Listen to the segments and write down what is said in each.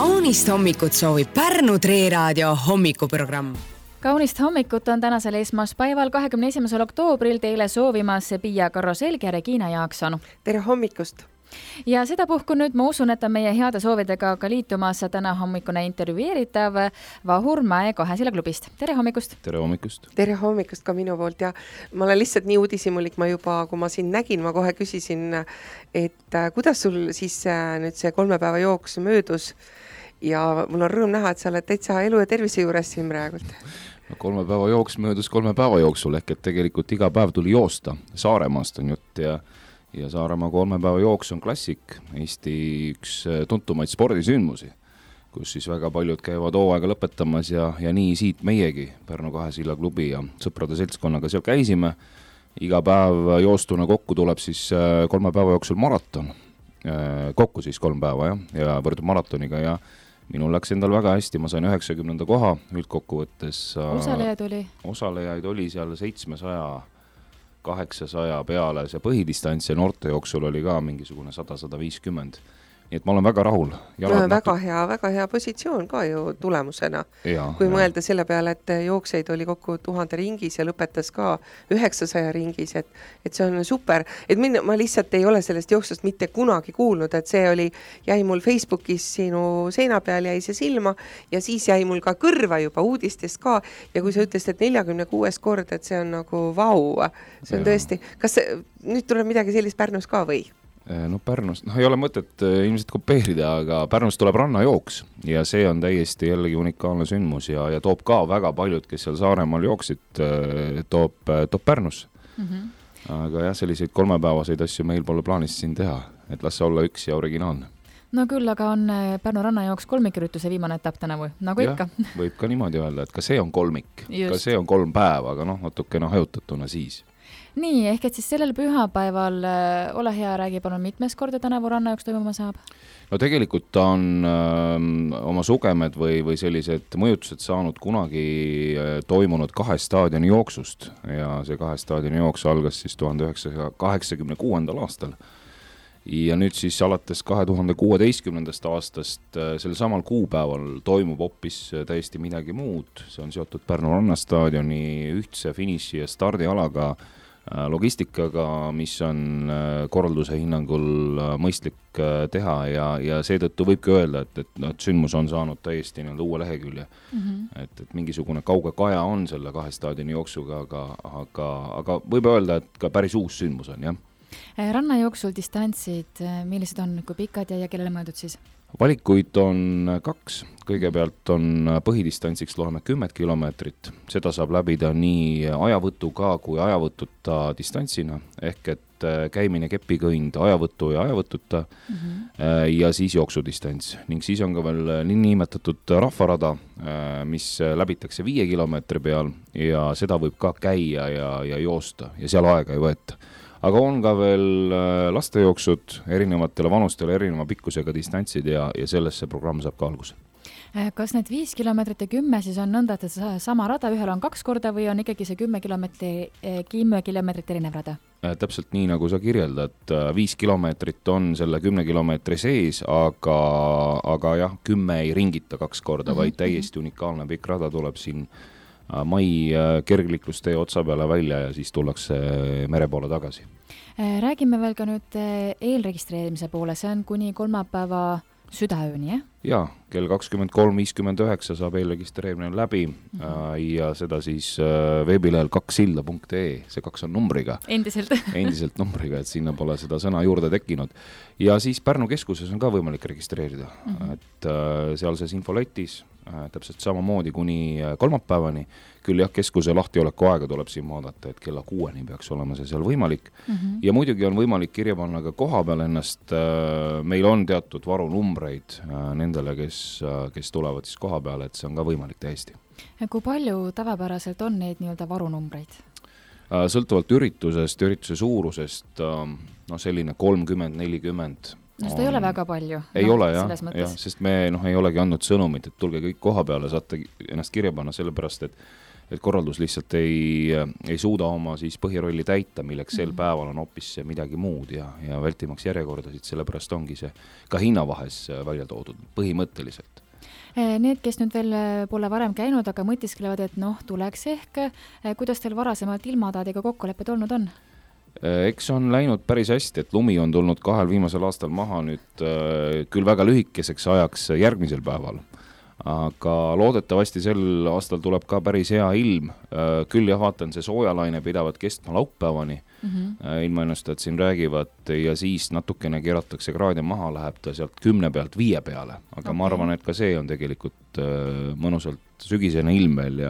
Kaunist hommikut soovib Pärnu Treeraadio hommikuprogramm. Kaunist hommikut on tänasel esmaspäeval 21. oktoobril teile soovimas Pia Karroselg ja Regina Jaakson. Tere hommikust! Ja sedapuhku nüüd ma usun, et on meie heade soovidega ka liitumas täna hommikune intervjueeritav Vahur Mäe Kahesilla klubist. Tere hommikust! Tere hommikust! Tere hommikust ka minu poolt ja ma olen lihtsalt nii uudisimulik, ma juba, kui ma siin nägin, ma kohe küsisin, et kuidas sul siis nüüd see 3 päeva jooks möödus ja mul on rõõm näha, et sa oled täitsa elu ja tervise juures siin praegult. No 3 päeva jooks möödus 3 päeva jooksul ehk et tegelikult iga päev tuli joosta. Saaremaast on jutt ja Saaremaa 3 päeva jooks on klassik, Eesti üks tuntumaid spordisündmusi, kus siis väga paljud käivad hooaega lõpetamas ja nii siit meiegi Pärnu Kahesilla klubi ja sõprade seltskonnaga seal käisime. Iga päev joostuna kokku tuleb siis 3 päeva jooksul maraton, kokku siis 3 päeva ja võrdub maratoniga ja minul läks endal väga hästi, ma sain 90. koha üldkokkuvõttes. Osalejaid oli seal 700 800 peale, see põhidistants ja noorte jooksul oli ka mingisugune 100-150. Nii et ma olen väga rahul. Väga hea positsioon ka ju tulemusena. Kui mõelda selle peale, et jookseid oli kokku 1000 ringis ja lõpetas ka 900 ringis, et see on super. Et ma lihtsalt ei ole sellest jooksust mitte kunagi kuulnud, et see jäi mul Facebookis sinu seina peal jäi see silma ja siis jäi mul ka kõrva juba uudistest ka ja kui sa ütlesid, et 46 kord, et see on nagu vau. See on tõesti. Kas nüüd tuleb midagi sellist Pärnus ka või? No Pärnus, ei ole mõtet ilmselt kopeerida, aga Pärnus tuleb rannajooks ja see on täiesti jällegi unikaalne sündmus ja toob ka väga paljud, kes seal Saaremaal jooksid, toob Pärnus. Aga jah, selliseid 3-päevaseid asju meil pole plaanis siin teha, et las olla üks ja originaalne. No küll, aga on Pärnu rannajooks kolmikürituse viimane etapp tänavu, nagu ikka. Võib ka niimoodi öelda, et ka see on kolmik, ka see on 3 päeva, aga natukene hajutatuna siis. Nii, ehk et siis sellel pühapäeval, ole hea, räägi palun mitmes korda tänavu rannajooks toimuma saab? No tegelikult ta on oma sugemed või sellised mõjutused saanud kunagi toimunud 2 staadioni jooksust ja see 2 staadioni jooks algas siis 1986. aastal. Ja nüüd siis alates 2016. aastast sel samal kuupäeval toimub hoopis täiesti midagi muud. See on seotud Pärnu rannastaadioni ühtse finiši ja stardialaga logistikaga, mis on korralduse hinnangul mõistlik teha ja seetõttu võibki öelda, et sündmus on saanud täiesti uue lehekülje. Et mingisugune kauge kaja on selle 2 staadioni jooksuga, aga võib öelda, et ka päris uus sündmus on, jah. Rannajooksul distantsid, millised on, kui pikad ja kellele mõeldud siis? Valikuid on 2. Kõigepealt on põhidistantsiks loeme 10 kilomeetrit. Seda saab läbida nii ajavõtuga kui ajavõtuta distantsina, ehk et käimine kepikõnd ajavõtu ja ajavõtuta ja siis jooksudistants. Ning siis on ka veel niinimetatud rahvarada, mis läbitakse 5 kilomeetri peal ja seda võib ka käia ja joosta ja seal aega ei võeta. Aga on ka veel lastejooksud erinevatele vanustele, erineva pikkusega distantsid ja sellest see programm saab ka alguse. Kas need 5 kilomeetrit ja 10 siis on nõnda, et sama rada ühel on 2 korda või on ikkagi see 10 kilomeetrit erinev rada? Täpselt nii, nagu sa kirjeldad, 5 kilomeetrit on selle 10 kilomeetri sees, aga jah, 10 ei ringita 2 korda, vaid täiesti unikaalne pikk rada tuleb siin mai kergliklustee otsa peale välja ja siis tullakse mere poole tagasi. Räägime veel ka nüüd eelregistreerimise poole, see on kuni 3 päeva südaööni, jah? Jaa, kell 23.59 saab eelregistreerimine läbi ja seda siis veebilehel 2silda.ee, see 2 on numbriga. Endiselt numbriga, et sinna pole seda sõna juurde tekkinud. Ja siis Pärnu keskuses on ka võimalik registreerida, et sealses infoletis täpselt samamoodi kuni kolmapäevani. Küll jah, keskuse lahtioleku aega tuleb siin vaadata, et kella 6-ni peaks olema see seal võimalik. Ja muidugi on võimalik kirja panna ka koha peal ennast. Meil on teatud varunumbreid nendele, kes tulevad siis koha peale, et see on ka võimalik täiesti. Kui palju tavapäraselt on neid nii-öelda varunumbreid? Sõltuvalt ürituse suurusest, selline 30-40. No seda ei ole väga palju. Ei ole jah, sest me ei olegi andnud sõnumit, et tulge kõik koha peale, saate ennast kirja panna sellepärast, et et korraldus lihtsalt ei suuda oma siis põhirolli täita, milleks sel päeval on hoopis midagi muud ja vältimaks järjekordasid, sellepärast ongi see ka hinnavahes välja toodud põhimõtteliselt. Need, kes nüüd veel pole varem käinud, aga mõtisklevad, et tuleks ehk, kuidas teil varasemalt ilmataadiga kokkulepped olnud on? Eks on läinud päris hästi, et lumi on tulnud 2 viimasel aastal maha nüüd küll väga lühikeseks ajaks järgmisel päeval. Aga loodetavasti sel aastal tuleb ka päris hea ilm. Küll vaatan, see soojalaine pidavat kestma laupäevani. Ilmaennustajad siin räägivad ja siis natukene keeratakse kraade maha, läheb ta sealt 10 pealt 5 peale. Aga ma arvan, et ka see on tegelikult mõnusalt sügisene ilm veel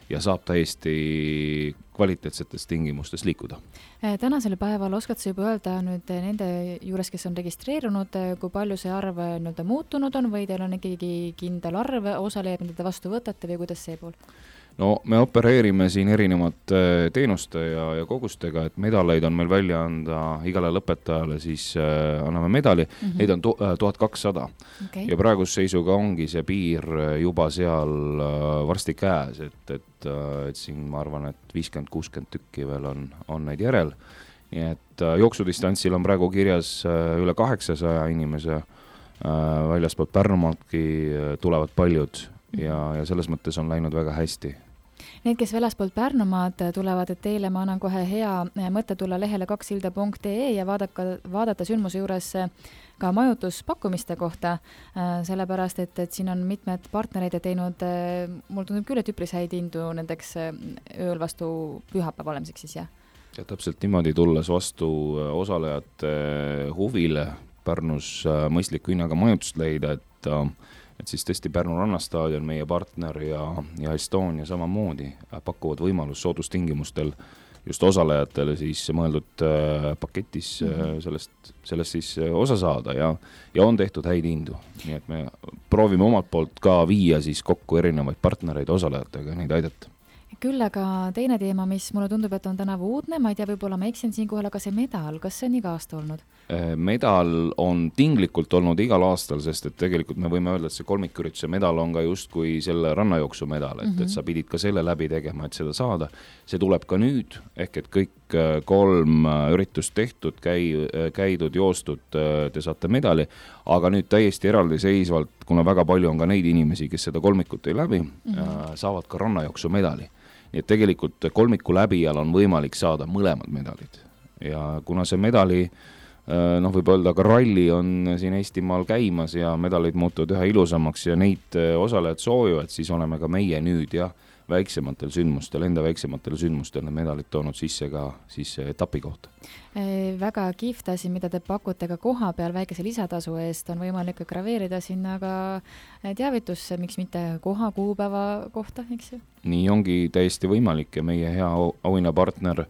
ja saab täiesti kvaliteetsetes tingimustes liikuda. Tänasel päeval oskad sa juba öelda nüüd nende juures, kes on registreerunud, kui palju see arv muutunud on või teil on ikkagi kindel arv osalejaid, mida te vastu võtate või kuidas see pool? No me opereerime siin erinevate teenuste ja kogustega, et medaleid on meil välja anda igale lõpetajale, siis anname medali, neid on 1200. Okay. Ja praeguse seisuga ongi see piir juba seal varsti käes, et siin ma arvan, et 50-60 tükki veel on neid järel. Nii et jooksudistantsil on praegu kirjas üle 800 inimese, väljaspoolt Pärnumaadki tulevad paljud ja selles mõttes on läinud väga hästi. Need, kes väljaspool Pärnumaad tulevad, et teile ma annan kohe hea mõtte tulla lehele 2silda.ee ja vaadata sündmuse juures ka majutuspakkumiste kohta, sellepärast, et siin on mitmed partnereid teinud, mul tundub küll, et üpris häid hindu nendeks ööl vastu pühapäeva olemiseks siis, jah? Ja täpselt niimoodi tulles vastu osalejate huvile Pärnus mõistliku hinnaga majutust leida, et siis tõesti Pärnu rannastaadion, meie partner ja Estonia samamoodi pakuvad võimalus soodustingimustel just osalejatele siis mõeldud paketis sellest siis osa saada ja on tehtud häid hindu. Nii et me proovime omalt poolt ka viia siis kokku erinevaid partnereid osalejatega, neid aidata. Küll aga teine teema, mis mulle tundub, et on tänavu uudne, ma ei tea, võib-olla ma eksin siinkohal, aga see medal, kas see on iga aasta olnud? Medal on tinglikult olnud igal aastal, sest et tegelikult me võime öelda, et see kolmikürituse medal on ka just kui selle rannajooksu medal, et sa pidid ka selle läbi tegema, et seda saada. See tuleb ka nüüd, ehk et kõik 3 üritust tehtud, käidud, joostud, te saate medali, aga nüüd täiesti eraldi seisvalt, kuna väga palju on ka neid inimesi, kes seda kolmikut ei läbi, saavad ka rannajooksu medali. Nii et tegelikult kolmiku läbijal on võimalik saada mõlemad medalid. Ja kuna see medali, võib öelda ka ralli on siin Eestimaal käimas ja medalid muutuvad ühe ilusamaks ja neid osalejad soovivad, siis oleme ka meie nüüd väiksematel sündmustel, enda väiksematel sündmustel need medalid toonud sisse ka siis etapi kohta. Väga kihvt asi, mida te pakute ka koha peal väikese lisatasu eest, on võimalik graveerida sinna ka teavitusse, miks mitte koha kuupäeva kohta, eks ju? Nii ongi täiesti võimalik ja meie hea auhinnapartner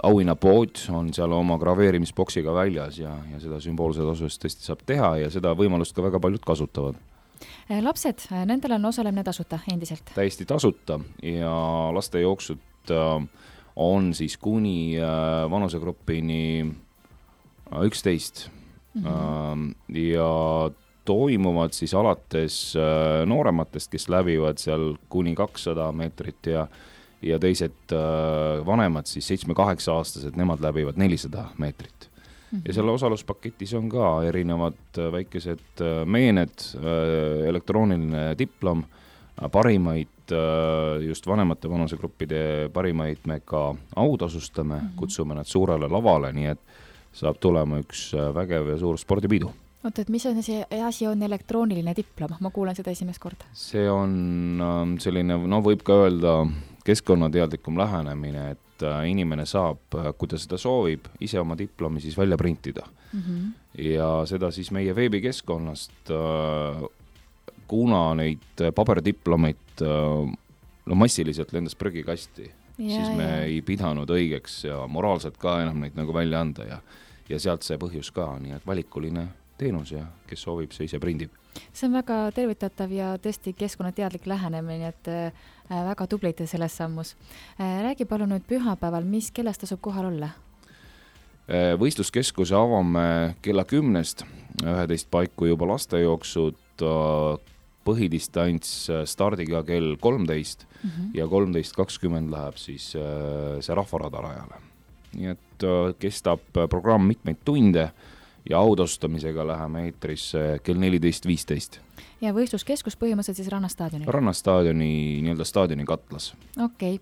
auhinnapood on seal oma graveerimisboksiga väljas ja seda sümboolse tasu eest tõesti saab teha ja seda võimalust ka väga paljud kasutavad. Lapsed, nendel on osalemine tasuta endiselt? Täiesti tasuta ja lastejooksud on siis kuni vanusegrupini 11 ja toimuvad siis alates noorematest, kes läbivad seal kuni 200 meetrit ja teised vanemad siis 7-8 aastased, nemad läbivad 400 meetrit. Ja selle osaluspaketis on ka erinevad väikesed meened, elektrooniline diplom, parimaid, just vanemate vanusegruppide parimaid me ka autasustame, kutsume nad suurele lavale, nii et saab tulema üks vägev ja suur spordipidu. Oot, et mis on see asi on elektrooniline diplom? Ma kuulen seda esimest korda. See on selline, võib ka öelda keskkonnateadlikum lähenemine, et inimene saab, kui ta seda soovib, ise oma diplomi siis välja printida. Ja seda siis meie veebikeskkonnast, kuna neid paberdiplomeid massiliselt lendas prügikasti, siis me ei pidanud õigeks ja moraalselt ka enam neid nagu välja anda ja sealt see põhjus ka, nii et valikuline teenus ja kes soovib, see ise prindib. See on väga tervitatav ja tõesti keskkonnateadlik lähenemine, et väga tublid selles sammus. Räägi palun nüüd pühapäeval, mis kellest tasub kohal olla? Võistluskeskuse avame kella 10, 11 paiku juba lastejooksud, põhidistants stardiga kell 13 ja 13.20 läheb siis see rahvarada rajale. Nii et kestab programm mitmeid tunde ja autaustamisega läheme eetrisse kell 14.15. Ja võistluskeskus põhimõtteliselt siis Rannastaadioni? Rannastaadioni, nii-öelda staadioni katlas. Okei.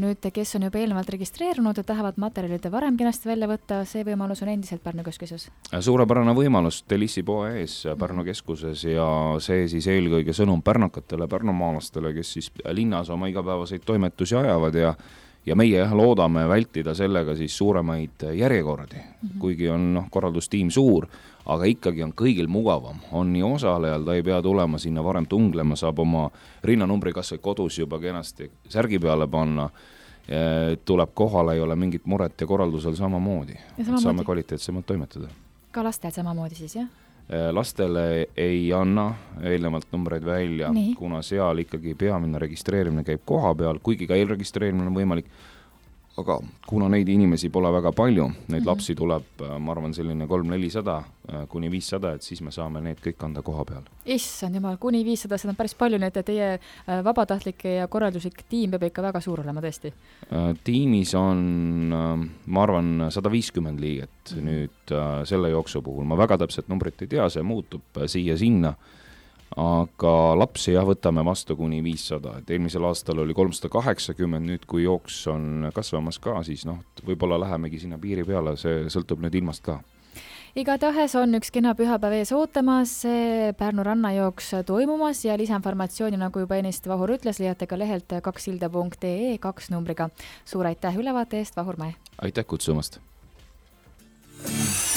Nüüd, kes on juba eelnevalt registreerunud ja tahavad materjalide varem kenasti välja võtta, see võimalus on endiselt Pärnu keskuses? Suurepärane võimalus Delissi poe ees Pärnu keskuses ja see siis eelkõige sõnum pärnakatele, pärnumaalastele, kes siis linnas oma igapäevaseid toimetusi ajavad ja meie loodame vältida sellega siis suuremaid järjekordi, kuigi on korraldustiim suur, aga ikkagi on kõigil mugavam, on nii osalejal, ta ei pea tulema sinna varem tunglema, saab oma rinnanumbri kas või kodus juba kenasti särgi peale panna, tuleb kohale, ei ole mingit muret ja korraldusel samamoodi. Saame kvaliteetsemalt toimetada. Ka lastel samamoodi siis, jah? Lastele ei anna eelnevalt numbreid välja, kuna seal ikkagi peamine registreerimine käib koha peal, kuigi ka eelregistreerimine on võimalik, aga kuna neid inimesi pole väga palju, neid lapsi tuleb, ma arvan, selline 300-400 kuni 500, et siis me saame need kõik anda koha peal. Issand jumal, kuni 500, seda on päris palju, nii et teie vabatahtlike ja korralduslik tiim peab ikka väga suur olema tõesti. Tiimis on, ma arvan, 150 liiget nüüd selle jooksu puhul. Ma väga täpselt numbrit ei tea, see muutub siia-sinna. Aga lapsi võtame vastu kuni 500, et eelmisel aastal oli 380, nüüd kui jooks on kasvamas ka, siis võib-olla lähemegi sinna piiri peale, see sõltub nüüd ilmast ka. Igatahes on üks kena pühapäev ees ootamas, Pärnu rannajooks toimumas ja lisainformatsiooni, nagu juba ennist Vahur ütles, leiate ka lehelt 2silda.ee 2 numbriga. Suur aitäh ülevaate eest, Vahur Mäe! Aitäh kutsumast!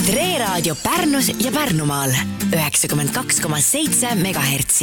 Tre Raadio Pärnus ja Pärnumaal 92,7 MHz.